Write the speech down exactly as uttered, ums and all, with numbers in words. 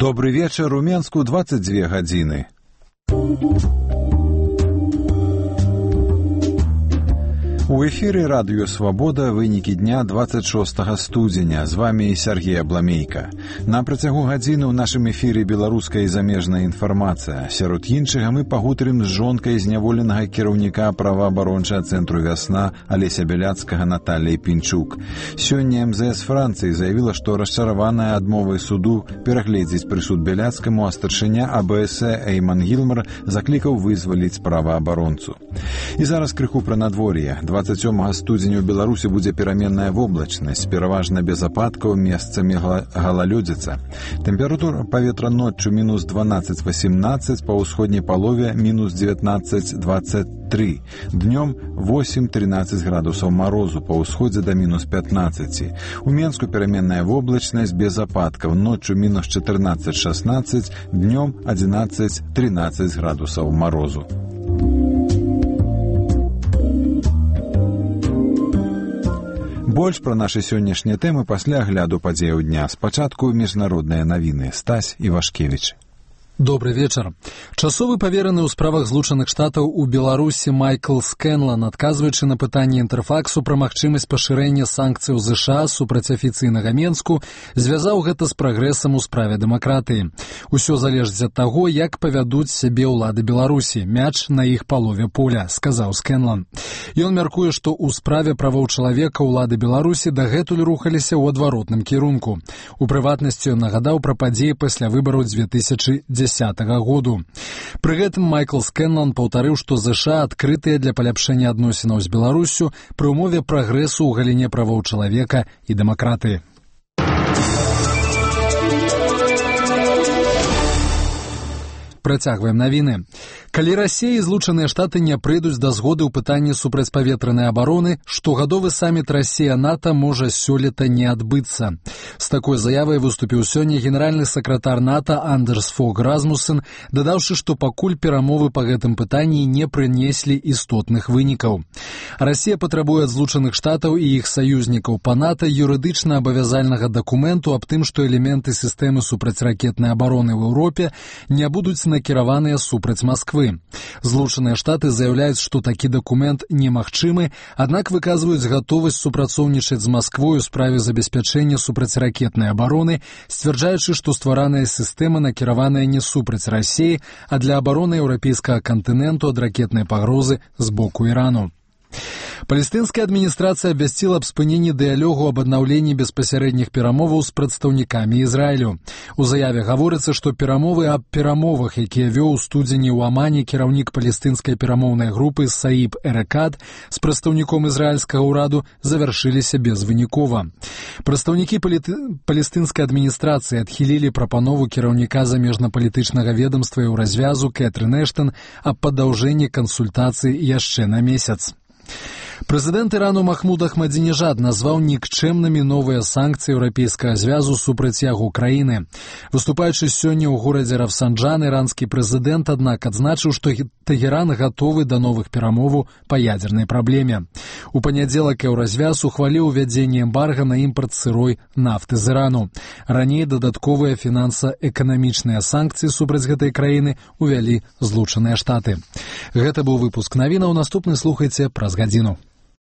Добрый вечер, у Менску двадцать две гадзіны. У эфире радио «Свобода» вынікі дня двадцать шостага студзеня. З вами Сергей Абламейка. На працягу гадзіны ў нашым эфире беларуская і замежная інфармацыя. Сярод іншага мы пагутарым з жонкай зняволенага кіраўніка праваабарончага цэнтру «Вясна» Алеся Бяляцкага Натальяй Пінчук. Сёння эм зэ эс Францыі заявіла, што расчараваная адмовай суду перагледзець прысуд Бяляцкаму, а старшыня а бэ эс э Эйман Гілмар заклікаў вызваліць праваабаронцу. І зараз крыху пра надвор'е. двадцать сёмага студзеня ў Беларусі будзе пераменная воблачнасць, пераважна без ападкаў, месцамі галалёдзіца. Тэмпература паветра ноччу мінус дванаццаць васемнаццаць, па ўсходняй палове мінус дзевятнаццаць дваццаць тры. Днём восемь трынаццаць градусаў марозу, па ўсходзе да мінус пятнаццаць. У Менску пераменная воблачнасць без ападкаў, ноччу мінус чатырнаццаць шаснаццаць, днём адзінаццаць трынаццаць градусаў марозу. Больш пра нашы сённяшнія тэмы пасля агляду падзеяў дня. Спачатку міжнародныя навіны. Стась Івашкевіч. Добрый вечер. Часовы павераны ў справах Злучаных Штатаў у Беларусі Майкл Скэнлан, адказваючы на пытанне Інтэрфаксу пра магчымасць пашырэння санкцый ЗША супраць афіцыйнага Менску, звязаў гэта з прагрэсам у справе дэмакратыі. Усё залежыць ад таго, як павядуць сябе ўлады Беларусі. Мяч на іх палове поля, сказаў Скэнлан. Ён мяркуе, што ў справе правоў чалавека ўлады Беларусі дагэтуль рухаліся ў адваротным кірунку. У прыватнасці ён нагадаў пра падзеі пасля выбараў дзве тысячы дзесятага году. Пры гэтым Майкл Скэнлан паўтарыў, што ЗША адкрытыя для паляпшэння адносінаў з Беларуссю пры ўмове прагрэсу ў галіне правоў чалавека і дэмакратыі. Працягваем навіны. Калі Расія і Злучаныя Штаты не прыйдуць да згоды ў пытанні супрацьпаветранай абароны, штогадовы саміт Расія-НАТО можа сёлета не адбыцца. З такой заявай выступіў сёння генеральны сакратар НАТО Андерс Фог Расмуссен, дадаўшы, што пакуль перамовы па гэтым пытанні не прынеслі істотных вынікаў. Расія патрабуе ад Злучаных Штатаў і іх саюзнікаў па НАТО юрыдычна абавязальнага дакументу аб тым, што элементы сістэмы супрацьракетнай абароны ў Еўропе не будуць накіраваныя супраць Масквы. Злучаныя Штаты заяўляюць, што такі дакумент немагчымы, аднак выказваюць гатовасць супрацоўнічаць з Масквой у справе забеспячэння супрацьракетнай абароны, сцвярджаючы, што ствараная сістэма накіраваная не супраць Расіі, а для абароны еўрапейскага кантыненту ад ракетнай пагрозы з боку Ірану. Палестынская адміністрацыя абвясціла аб спыненні дыялогу аб аднаўленні беспасярэдніх перамоваў з прадстаўнікамі Ізраілю. У заяве гаворыцца, што перамовы аб перамовах, якія вёў у студзені ў Амане кіраўнік палестынскай перамоўнай групы Саіб Эрекад з прадстаўніком ізраільскага ўраду, завяршыліся безвынікова. Прадстаўнікі паліты... палестынскай адміністрацыі адхілілі прапанову кіраўніка замежнапалітычнага ведамства і ў развязу Кэтрын Эштон аб падаўжэнні кансультацый яшчэ на месяц. Прэзідэнт Ірану Махмуд Ахмадзінежад назваў нікчэмнымі новыя санкцыі еўрапейскага звязу супраць яго краіны. Выступаючы сёння ў горадзе Рафсанджан, іранскі прэзідэнт, аднак, адзначыў, што Тэгеран гатовы да новых перамоваў па ядзернай праблеме. У панядзелак еўразвяз ухваліў увядзенне эмбарга на імпарт сырой нафты з Ірану. Раней дадатковыя фінанса-эканамічныя санкцыі супраць гэтай краіны увялі Злучаныя Штаты. Гэта быў выпуск навінаў. Наступны слухайце праз гадзіну.